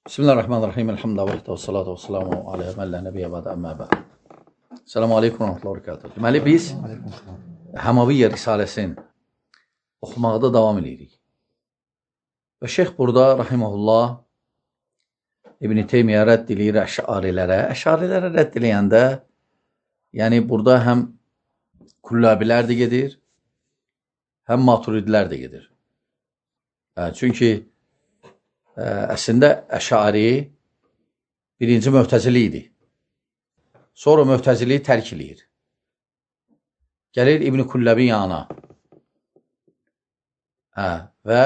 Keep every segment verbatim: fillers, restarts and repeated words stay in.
Bismillahirrahmanirrahim. Elhamdülillah və salatu və salamu alə mən lə nəbiyyə bədə əmmə bəd. Selamu aleykum və rəhmətullah və bərəkatuhu. Deməli, biz Həmaviyyə Risaləsini oxumaqda davam edirik. Və şeyx burada, rahiməhullah, İbn-i Teymiyyə rədd eləyir əşarilərə. Əşarilərə rədd eləyəndə, yəni burada həm Kullabilər də gedir, həm Maturidlər də gedir. Çünki əslində Əşari birinci Möhtəzili idi. Sonra Möhtəziliyi tərk eləyir. Gəlir İbn-i Kullabi yanına. Hə, və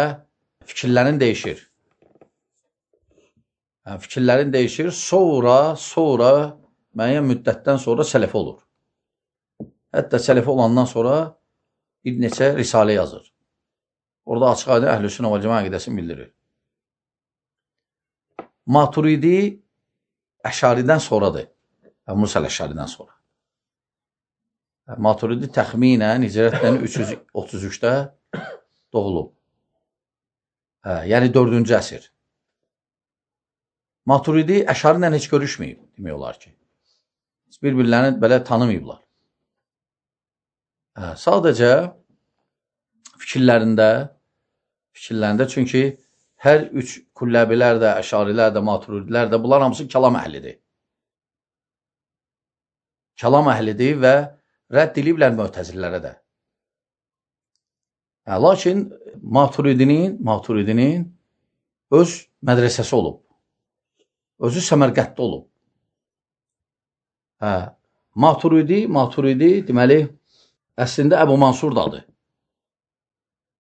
fikirlərin dəyişir. Hə, fikirlərin dəyişir, sonra, sonra, müəyyən müddətdən sonra sələfi olur. Hətta sələfi olandan sonra bir neçə risalə yazır. Orada açıq aydın Əhlüsünnə və Cəmaət əqidəsini bildirir. Maturidi Əşaridən sonradır. Musa Əşaridən sonra. Maturidi təxminən Hicrətdən üç yüz otuz üçdə doğulub. Hə, yəni dördüncü əsr. Maturidi Əşari ilə heç görüşməyib, demək olar ki. Bir-birlərini belə tanımayıblar. Hə, sadəcə fikirlərində, fikirlərində çünki hər üç Kulləbilər də, Əşarilər də, Maturidlər də, bunlar hamısı kəlam əhlidir. Kəlam əhlidir və rədd ediblər Möhtəzillərə də. Hə, lakin Maturidinin, Maturidinin öz mədrəsəsi olub. Özü Səmərqətdə olub. Hə, Maturidi, Maturidi deməli, əslində Əbu Mansur da adı.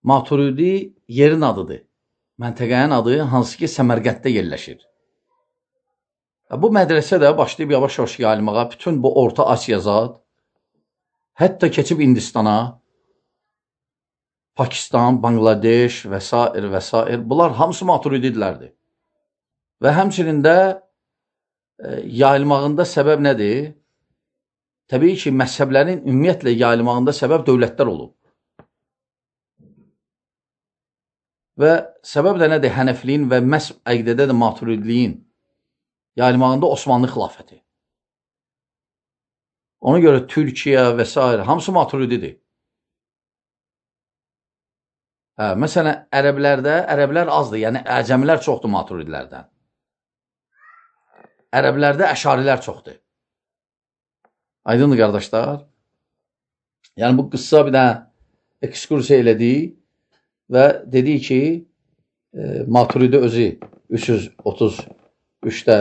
Maturidi yerin adıdır. Məntəqənin adı hansı ki Səmərqətdə yerləşir. Bu mədrəsə də başlayıb yavaş-yavaş yayılmağa, bütün bu Orta Asiya zad, hətta keçib Hindistana, Pakistan, Bangladeş və s. və s. Bunlar hamısı Maturididirlərdir. Və həmçinin də e, yayılmağında səbəb nədir? Təbii ki, məzhəblərin ümumiyyətlə yayılmağında səbəb dövlətlər olub. Və səbəb də nədir? Hənəfliyin və məhz əqidədə də Maturidliyin yayılmağında Osmanlı xilafəti. Ona görə Türkiyə və s. hamısı Maturididir. Hə, məsələn, ərəblərdə, ərəblər azdır, yəni əcəmilər çoxdur Maturidlərdən. Ərəblərdə əşarilər çoxdur. Aydındır, qardaşlar. Yəni, bu qıssa bir dənə ekskursiya elədik. Və dedi ki, e, Maturidi özü üç yüz otuz üçdə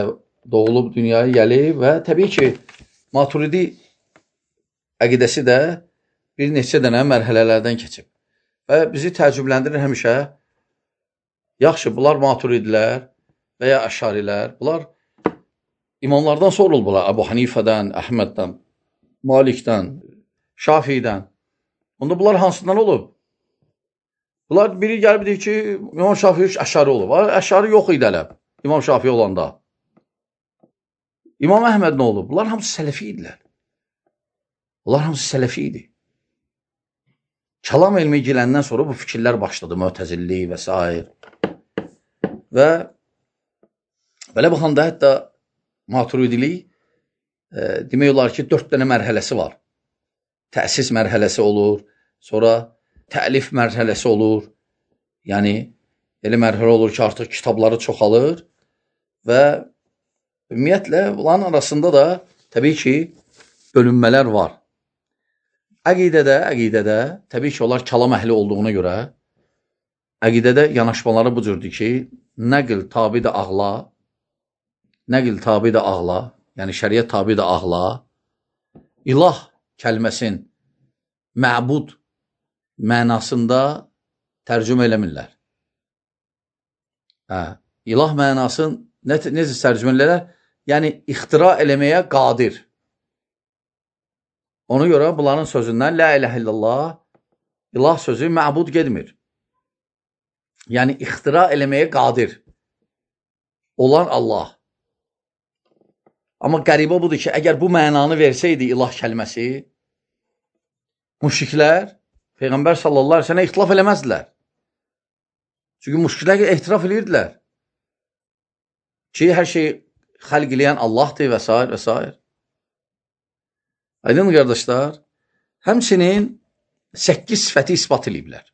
doğulub dünyaya gəlib və təbii ki, Maturidi əqidəsi də bir neçə dənə mərhələlərdən keçib. Və bizi təəccübləndirir həmişə, yaxşı, bunlar Maturidilər və ya Əşarilər, bunlar imamlardan sonra olublar, Əbu Hanifədən, Əhməddən, Malikdən, Şafiidən. Onda bunlar hansından olub? Bunlar biri gəlib deyir ki, İmam Şafii Əşari olub. Əşari yox idi hələ, İmam Şafii olanda. İmam Əhməd nə olub? Bunlar hamısı sələfi idilər. Bunlar hamısı sələfi idi. Kəlam elmi gələndən sonra bu fikirlər başladı, Möhtəzilli və s. Və belə baxanda hətta Maturidilik e, demək olar ki, dörd dənə mərhələsi var. Təsis mərhələsi olur, sonra təlif mərhələsi olur, yəni elə mərhələ olur ki, artıq kitabları çoxalır və ümumiyyətlə bunların arasında da təbii ki, bölünmələr var. Əqidədə, əqidədə, təbii ki, onlar kəlam əhli olduğuna görə, əqidədə yanaşmaları bu cürdür ki, nəql tabi də ağla, nəql tabi də ağla, yəni şəriət tabi də ağla, ilah kəlməsin məbud mənasında tərcümə eləmirlər. Hə, ilah mənasını ne, necə tərcümə eləmirlər? Yəni, ixtira eləməyə qadir. Ona görə bunların sözündən La iləhə illallah, ilah sözü məbud gedmir. Yəni, ixtira eləməyə qadir olan Allah. Amma qəribə budur ki, əgər bu mənanı versəydi ilah kəlməsi, müşriklər Peyğəmbər sallallahu aleyhi ve sellem ixtilaf eləməzdilər. Çünki müşriklər ehtiraf edirdilər. ki, hər şeyi xəlq eləyən Allahdır və s. və s. Aydın qardaşlar, həmçinin səkkiz sifəti ispat ediblər.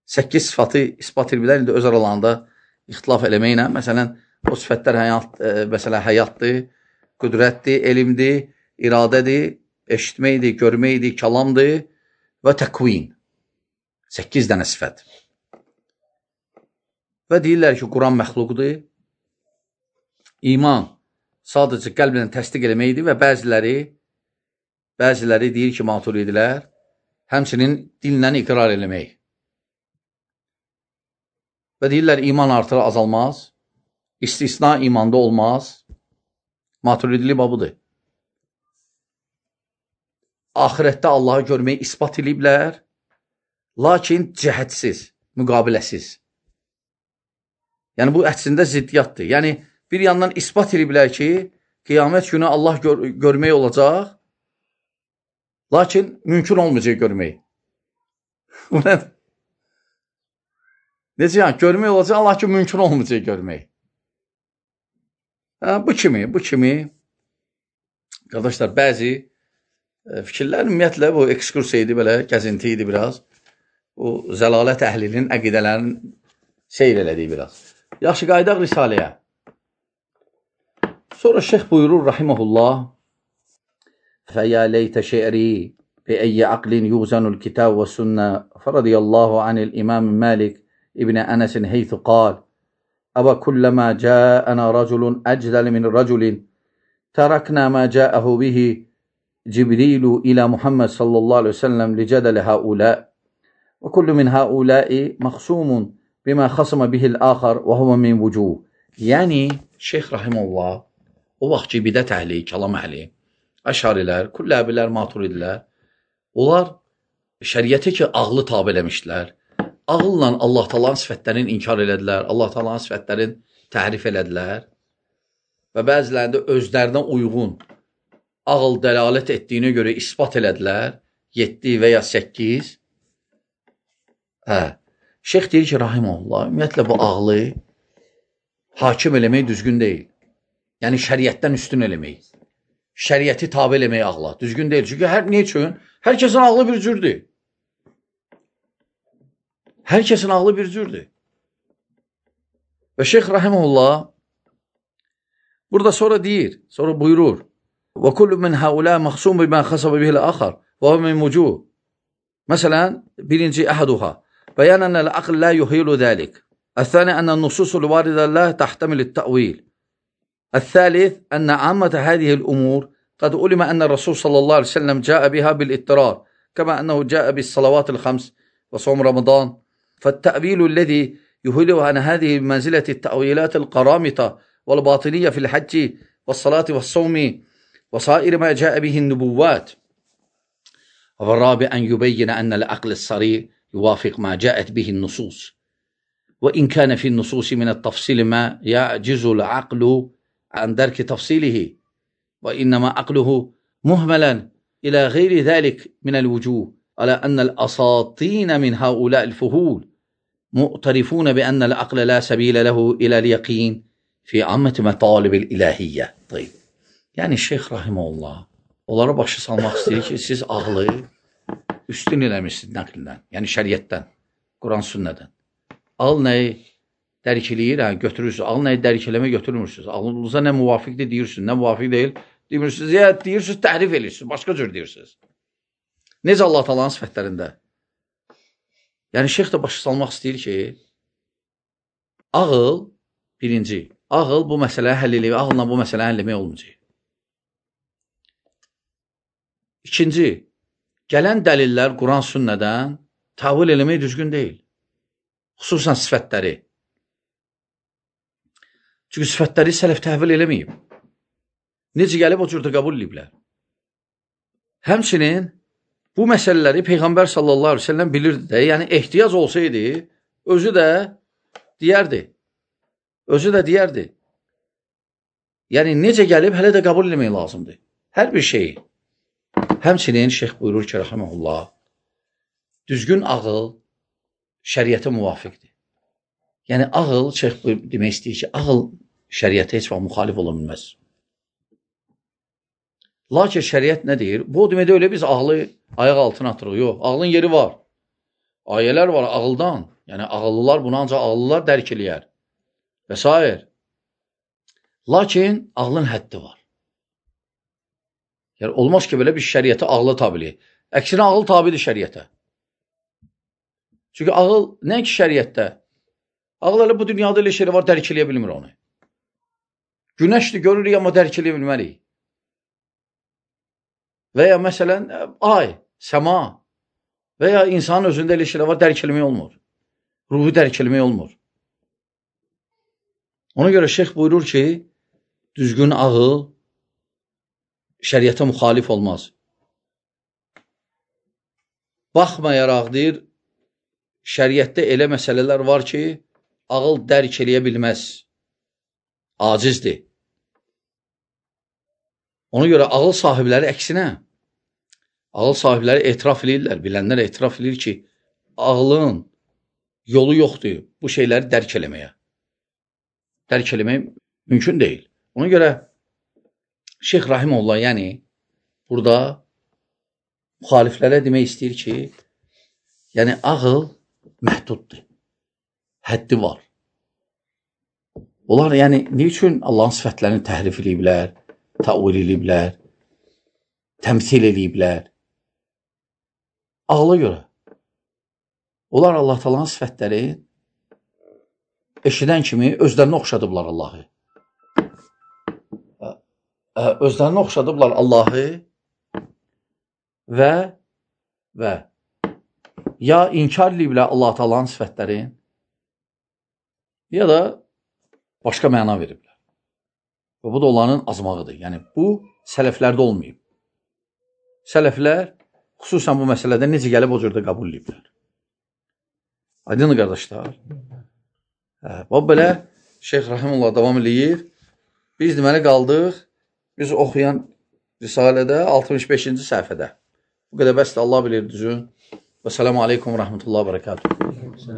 səkkiz sifəti ispat ediblər, indi öz aralarında ixtilaf eləməklə, məsələn, o sifətlər həyat, e, məsələn, həyatdır, qüdrətdir, elmdir, iradədir, eşitməkdir, görməkdir, kəlamdır və təqvin. səkkiz dənə sifət. Və deyirlər ki, Quran məxluqdur, iman sadəcə qəlblə təsdiq eləməkdir və bəziləri bəziləri deyir ki, maturidilər, həmçinin dillə iqrar eləmək. Və deyirlər, iman artır, azalmaz, istisna imanda olmaz, maturidili babudur. Ahirətdə Allahı görməyi ispat ediblər, lakin cəhədsiz, müqabiləsiz. Yəni, bu əslində ziddiyyatdır. Yəni, bir yandan ispat ediblər ki, qiyamət günü Allah gör görmək olacaq, lakin mümkün olmayacaq görmək. Necə yəni, görmək olacaq, lakin mümkün olmayacaq görmək. Hə, bu kimi, bu kimi, qardaşlar, bəzi e, fikirlər, ümumiyyətlə, bu ekskursiya idi, belə, gəzinti idi biraz. Bu, zəlalət əhlinin, əqidələrin seyr elədiyi biraz. Yaxşı, qaydaq Risaləyə. Sonra şeyx buyurur, rahiməhullah, فَيَا لَيْتَ شِعْرِي بِأَيِّ عَقْلٍ يُغْزَنُ الْكِتَابُ وَالسُّنَّةِ فَرَضِيَ اللَّهُ عَنِ الْإِمَامِ مَالِكِ ابن أنس حيث قال أَوَ كُلَّمَا جَاءَنَا رَجُلٌ أَجْدَلَ مِنْ رَجُلٍ تَرَكْنَا مَا جَاءَهُ بِهِ جِبْرِيلُ إِلَى مُحَمَّدٍ صلى الله عليه وسلم لجدل هؤلاء وكل من هؤلاء مخصوم بما خصم به الآخر وهو من وجوه. Yəni Şeyx rahimehullah o vaxt ki bidət əhli, kəlam əhli, əşarilər, kulləbilər, maturidilər, onlar şəriəti ki ağlı tabe eləmişdilər. Ağılla Allah Taala'nın sifətlərini inkar elədilər, Allah Taala'nın sifətlərini təhrif elədilər və bəzilərində özlərinə uyğun ağıl dəlalət etdiyinə görə isbat elədilər, yeddi və ya səkkiz. Hə, şeyx deyir ki, rahimehullah, ümumiyyətlə bu ağlı hakim eləmək düzgün deyil. Yəni şəriətdən üstün eləmək. Şəriəti tabe eləmək ağla düzgün deyil. Çünki hər nə üçün? Hər kəsin ağlı bir cürdür. Hər kəsin ağlı bir cürdür. Və şeyx rahimehullah burada sonra deyir, sonra buyurur: "Və kullu min haula mahsum bima khasaba bihi al-akhar və huwa min wujuh." Məsələn, birinci əhaduha bayan anna al-aql la yuhilu zalik. الثاني أن النصوص الواردة لا تحتمل التأويل. الثالث أن عامة هذه الأمور قد علم أن الرسول صلى الله عليه وسلم جاء بها بالاضطرار كما أنه جاء بالصلوات الخمس وصوم رمضان. فالتأويل الذي يهيله عن هذه منزلة التأويلات القرامطة والباطنية في الحج والصلاة والصوم وصائر ما جاء به النبوات. والرابع أن يبين أن العقل الصريح يوافق ما جاءت به النصوص، وإن كان في النصوص من التفصيل ما يعجز العقل عن درك تفصيله، وإنما عقله مهملا إلى غير ذلك من الوجوه، على أن الأساطين من هؤلاء الفهول مؤترفون بأن العقل لا سبيل له إلى اليقين في عامة مطالب الإلهية. طيب. Yani Şeyx rahimehullah onlara başı salmaq istəyir ki, siz ağlı üstün eləmişsiniz nəqldən, yəni şəriətdən, Quran sünnədən. Ağıl nəyi dərk eləyir, hə, götürürsünüz. Ağıl nəyi dərk eləmə götürmürsünüz. Ağlınıza nə müvafiqdir deyirsiniz, nə müvafiq deyil demirsiniz. Ya deyirsiniz, təhrif edirsiniz, başqa cür deyirsiniz. Necə Allah Taala'nın sifətlərində? Yəni şeyx də başı salmaq istəyir ki, ağıl birinci, ağıl bu məsələyə həll eləmək, ağılla bu məsələyə həll eləmək olmayacaq. İkinci, gələn dəlillər Quran sünnədən tavil eləmək düzgün deyil. Xüsusən sifətləri. Çünki sifətləri sələf təhvil eləməyib. Necə gəlib o cürdə qəbul ediblər. Həmçinin bu məsələləri Peyğəmbər sallallahu aleyhi ve sellem bilirdi də, yəni ehtiyac olsaydı, özü də deyərdi. Özü də deyərdi. Yəni necə gəlib, hələ də qəbul eləmək lazımdır. Hər bir şeyi. Həmçinin şeyx buyurur ki, rahimehullah, düzgün ağıl şəriətə müvafiqdir. Yəni ağıl, şeyx demək istəyir ki, ağıl şəriətə heç vaxt müxalif ola bilməz. Lakin şəriət nə deyir? Bu deməkdə öyle biz ağlı ayaq altına atırıq. Yox, ağlın yeri var. Ayələr var ağıldan. Yəni ağıllılar bunu ancaq ağıllılar dərk eləyər. Və s. Lakin ağlın həddi var. Yəni olmaz ki, belə bir şəriətə ağlı tabidir. Əksinə ağıl tabidir şəriətə. Çünki ağıl nə ki şəriətdə? Ağıl elə bu dünyada elə şeylər var, dərk eləyə bilmir onu. Günəşdir, görürük, amma dərk eləyə bilmərik. Və ya məsələn, ay, səma və ya insanın özündə elə şeylər var, dərk eləmək olmur. Ruhu dərk eləmək olmur. Ona görə şeyx buyurur ki, düzgün ağıl şəriətə müxalif olmaz. Baxmayaraq deyir, şəriətdə elə məsələlər var ki, ağıl dərk eləyə bilməz. Acizdir. Ona görə ağıl sahibləri əksinə, ağıl sahibləri etiraf edirlər, bilənlər etiraf edir ki, ağlın yolu yoxdur bu şeyləri dərk eləməyə. Dərk eləmək mümkün deyil. Ona görə Şeyx Rahimullah, yəni burada müxaliflərə demək istəyir ki, yəni ağıl məhduddur, həddi var. Onlar yəni nə üçün Allahın sifətlərini təhrif ediblər, təvil ediblər, təmsil ediblər? Ağla görə. Onlar Allah Taala'nın sifətləri eşidən kimi özlərini oxşadıblar Allahı. Özlərini oxşadıblar Allahı və və ya inkar ediblər Allah Taala'nın sifətlərini, ya da başqa məna veriblər. Və bu da onların azmağıdır. Yəni, bu sələflərdə olmayıb. Sələflər xüsusən bu məsələdə necə gəlib o cürdə qəbul ediblər. Aydın qardaşlar. Və belə Şeyx Rahimullah davam edir. Biz deməli qaldıq, biz oxuyan Risalədə altmış beşinci səhifədə. Bu qədər bəsdir, Allah bilir düzün. Və selamu aleykum və rəhmətullah və bərəkatuhu.